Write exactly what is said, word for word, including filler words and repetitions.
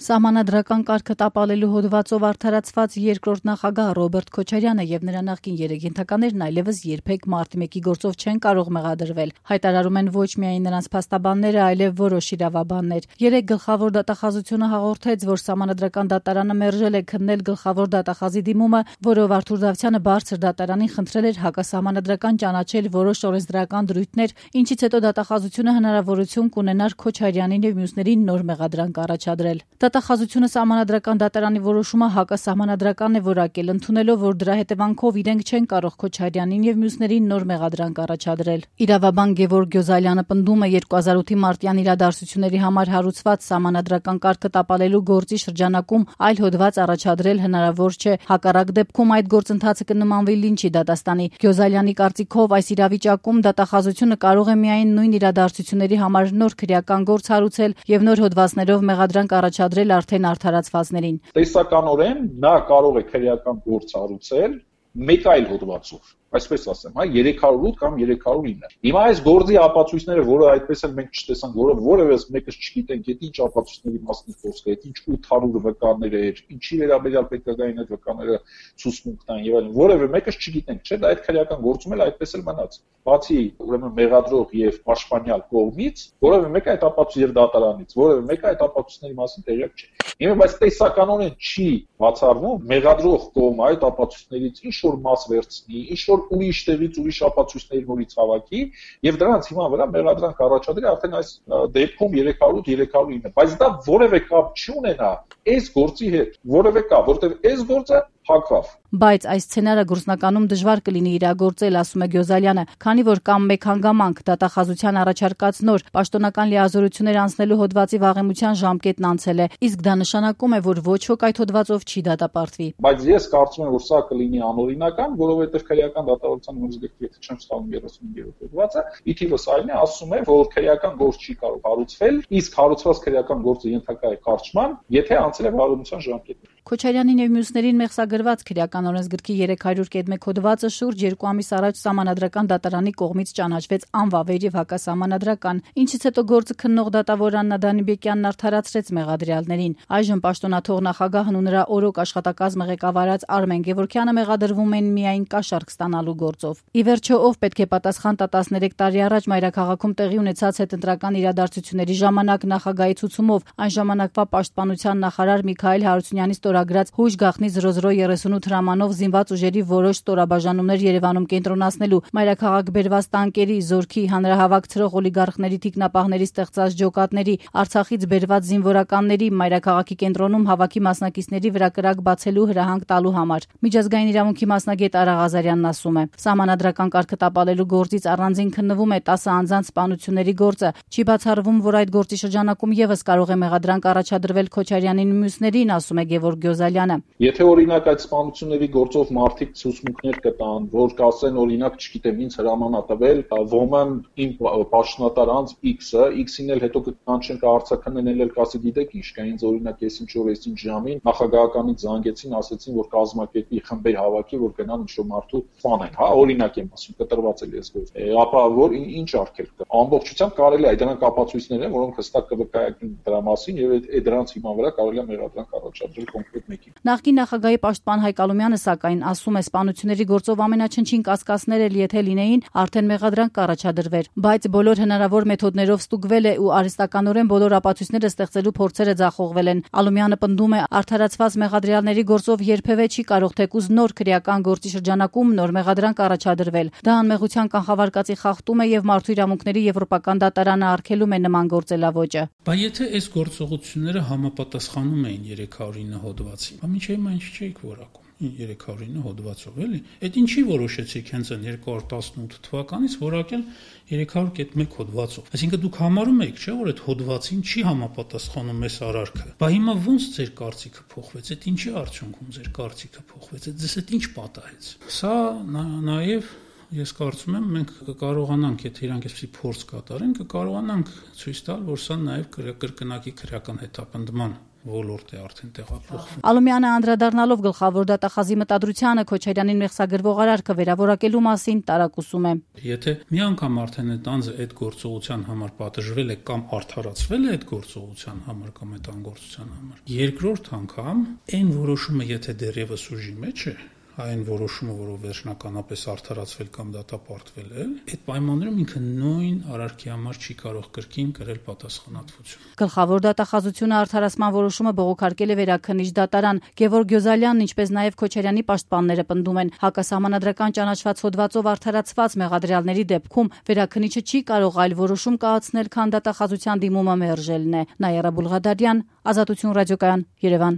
Սահմանադրական կարգը տապալելու հոդվածով արդարացված երկրորդ նախագահ Ռոբերտ Քոչարյանը եւ նրա նախկին երեք ենթականերն այլևս երբեք մարտի մեկի գործով չեն կարող մեղադրվել։ Հայտարարում են ոչ միայն նրանց փաստաբանները, այլև որոշ իրավաբաններ։ Երեք գլխավոր դատախազությունը հաղորդեց, որ Սահմանադրական դատարանը մերժել է քննել գլխավոր դատախազի դիմումը, որով Արթուր Դավթյանը բարձր դատարանին խնդրել էր հակասահմանադրական ճանաչել որոշ օրենսդրական դրույթներ, ինչից հետո դատախազությունը հնարավորություն կունենար Քոչարյանին եւ մյուսներին նոր մեղադրանք առաջադրել։ Դատախազությունը Սահմանադրական դատարանի որոշումը հակասահմանադրական է որակել, ընդունելով, որ դրա հետևանքով իրենք չեն կարող Քոչարյանին եւ մյուսներին նոր մեղադրանք առաջադրել։ Իրավաբան Գևորգ Գյոզալյանը պնդում է երկու հազար ութի մարտյան իրադարձությունների համար հարուցված Սահմանադրական կարգը տապալելու գործի շրջանակում այլ հոդված առաջադրել հնարավոր չէ։ Հակառակ դեպքում այդ գործընթացը կնմանվի լինչի դատաստանի։ Գյոզալյանի կարծիքով այս իրավիճակում դատախազությունը կարող է միայն նույն իրադարձությունների համար նոր քրեական գործ հարուցել եւ նոր հոդվածներով մեղադրանք առաջադրել արդեն արդարացվածներին։ Տեսականորեն նա կարող է քրեական գործ հարուցել մեկ այլ հոդվածով, այսպես ասեմ, հա երեք հարյուր ութ կամ երեք հարյուր ինը։ Հիմա այս գործի ապացույցները, որը այդպես էլ մենք չտեսանք, որը որևէ մեկը չգիտենք, այդ ինչ ապացույցների մասն է խոսքը, այդ ինչ ութ հարյուր վկաներ էր, ինչի վերաբերյալ պետքային այդ վկաները ցուցմունքն են եւ այլն, որևէ մեկը չգիտենք, չէ՞, դա այդ քրեական գործում էլ այդպես էլ մնաց։ Բացի ուրեմն մեղադրող եւ պաշտպանյալ կողմից, որևէ մեկը այդ ապացույց եւ դատարանից, որևէ մեկը այդ ապացույցների մասին տեղյակ չէ։ Հիմա բայց տեսականորեն չի բացառվում մեղադրող կողմը այդ ապացույցներից ինչ որ մաս վերցնի, ինչ որ ուրիշ տեղից ուրիշ ապացույցների նորից հավաքի եւ դրանց հիման վրա մեղադրանք առաջադրի արդեն այս դեպքում երեք հարյուր ութ երեք հարյուր ինը, բայց դա որևէ կապ չունենա այս գործի հետ, որևէ կապ, որտեղ այս գործը հակվավ։ Բայց այս սցենարը գործնականում դժվար կլինի իրագործել, ասում է Գյոզալյանը, քանի որ կամ մեկ հանգամանք դատախազության առաջարկած նոր պաշտոնական լիազորություններ անցնելու հոդվածի վաղեմության ժամկետն անցել է, իսկ դա նշանակում է, որ ոչ ոք այդ հոդվածով չի դատապարտվի։ Բայց ես կարծում եմ, որ սա կլինի անօրինական, որովհետև քրեական դատավարության օրենսգրքի, եթե չեմ սխալվում, երեսուն երրորդ հոդվածը, ի թիվս այն է, ասում է, որ քրեական գործ չի կարող հարուցվել, իսկ հարուցված քրեական գործը ենթակա է կարճման, եթե անցել է վաղեմության ժամկետը։ Քոչարյանին եւ մյուսներին մեղսագրված քրեական օրենսգրքի երեք հարյուր մեկ հոդվածը շուրջ երկու ամիս առաջ Սահմանադրական դատարանի կողմից ճանաչվեց անվավեր եւ հակասահմանադրական, ինչից հետո գործը քննող դատավոր Աննա Դանիբեկյանն արդարացրեց մեղադրյալներին։ Այժմ պաշտոնաթող նախագահն ու նրա օրոք աշխատակազմը ղեկավարած Արմեն Գևորգյանը մեղադրվում են միայն կաշառք ստանալու գործով։ Ի վերջո, ով պետք է պատասխան տա տասներեք տարի առաջ մայրաքաղաքում տեղի ունեցած հետընտրական իրադարձությունների ժամանակ նախագահի ցուցումով այն ժամանակվա պաշտպանության նախարար Միքայել Հարությունյանի ստորագրած հույժ գաղտնի զրո զրո երեսունութ հրամանով զինված ուժերի որոշ ստորաբաժանումներ Երևանում կենտրոնացնելու, մայրաքաղաք բերված տանկերի, զորքի, հանրահավաք ցրող օլիգարխների թիկնապահների ստեղծած ջոկատների, Արցախից բերված զինվորականների, մայրաքաղաքի կենտրոնում հավաքի մասնակիցների վրա կրակ բացելու հրահանգ տալու համար։ Միջազգային իրավունքի մասնագետ Արա Ղազարյանն ասում է. Սահմանադրական կարգը տապալելու գործից առանձին քննվում է տասը անձանց սպանությունների գործը։ Չի բացառվում, որ այդ գործի շրջանակում եւս կարող է մեղադրանք առաջադրվել Քոչարյանին մյուսներին, ասում է Գևորգ Գյոզալյանը։ Եթե օրինակ այդ սպանությունների գործով մարդիկ ցուցմունքներ կտան, որ կասեն օրինակ, չգիտեմ, ինձ հրաման ա տվել, ոմն իմ պաշտոնատար անձ X-ը, X-ին էլ հետո կանչեն կհարցակնեն էլ կասի, գիտեք ինչ կա, ինձ օրինակ ես ինչ որ ես ինչ ժամին նախագահականից զանգեցին, ասեցին, որ կազմակերպի խմբեր հավաքի, որ գնան ինչ որ մարդու սպանեն, հա, օրինակ եմ ասում, կտրված էլ ես գործ։ Ապա որ ինչ արգելք կա։ Ամբողջությամբ կարելի է դրանք ապացույցներ են, որոնք հստակ կվկայակնեն դրա մասին եւ այդ դրանց հիման վրա կարելի է մեղադրանք առաջադրել կոնկրետ մեկին։ Նախկին նախագահի պաշտպան Հայկ Ալումյանը սակայն ասում է, սպանությունների գործով ամենաչնչին կասկածներ էլ եթե լինեին, արդեն մեղադրանք կառաջադրվեր, բայց բոլոր հնարավոր մեթոդներով ստուգվել է ու արհեստականորեն բոլոր ապացույցները ստեղծելու փորձերը ձախողվել են։ Ալումյանը պնդում է, արդարացված մեղադրյալների գործով երբևէ չի կարող թեկուզ նոր քրեական գործի շրջանակում նոր մեղադրանք առաջադրվել։ Դա անմեղության կանխավարկածի խախտում է եւ մարդու իրավունքների եվրոպական դատարանը արգելում է նման գործելավոճը։ Բայց եթե այս գործողությունները համապատասխանում էին երեք հարյուր ինը հոդվածին, բա ինչի՞ հիմա ինչ չէիք որակում երեք հարյուր ինը հոդվածով, էլի։ Այդ ինչի որոշեցիք հենց այն երկու հազար տասնութ թվականից որակել երեք հարյուր մեկ հոդվածով։ Այսինքն դուք համարում եք, չէ՞, որ այդ հոդվածին չի համապատասխանում այս արարքը։ Բա հիմա ո՞նց ձեր կարծիքը փոխվեց։ Այդ ինչի արդյունքում ձեր կարծիքը փոխվեց։ Այդ ձեզ այդ ինչ պատահեց։ Սա նաեւ ես կարծում եմ մենք կկարողանանք, եթե իրանք այսպեսի փորձ կատարեն, կկարողանանք ցույց տալ, որ սա նաեւ կրկնակի քրեական հետապնդման ոլորտ է արդեն տեղափոխվում։ Ալումյանը անդրադառնալով գլխավոր դատախազի մտադրությանը Քոչարյանին մեղսագրվող արարքը վերավորակելու մասին տարակուսում է։ Եթե մի անգամ արդեն այդ անձը այդ գործողության համար պատժվել է կամ արդարացվել է այդ գործողության համար կամ այդ անգործության համար, երկրորդ անգամ այն որոշումը, եթե դեռևս ուժի մեջ է, այն որոշումը, որով վերջնականապես արդարացվել կամ դատապարտվել է, այդ պայմաններում ինքը նույն արարքի համար չի կարող կրկին կրել պատասխանատվություն։ Գլխավոր դատախազությունը արդարացման որոշումը բողոքարկել է Վերաքննիչ դատարան։ Գևորգ Գյոզալյանն, ինչպես նաև Քոչարյանի պաշտպանները պնդում են, հակասահմանադրական ճանաչված հոդվածով արդարացված մեղադրյալների դեպքում Վերաքննիչը չի կարող այլ որոշում կայացնել, քան դատախազության դիմումը մերժելն է։ Նաիրա Բուլղադարյան, Ազատություն ռադիոկայան, Երևան։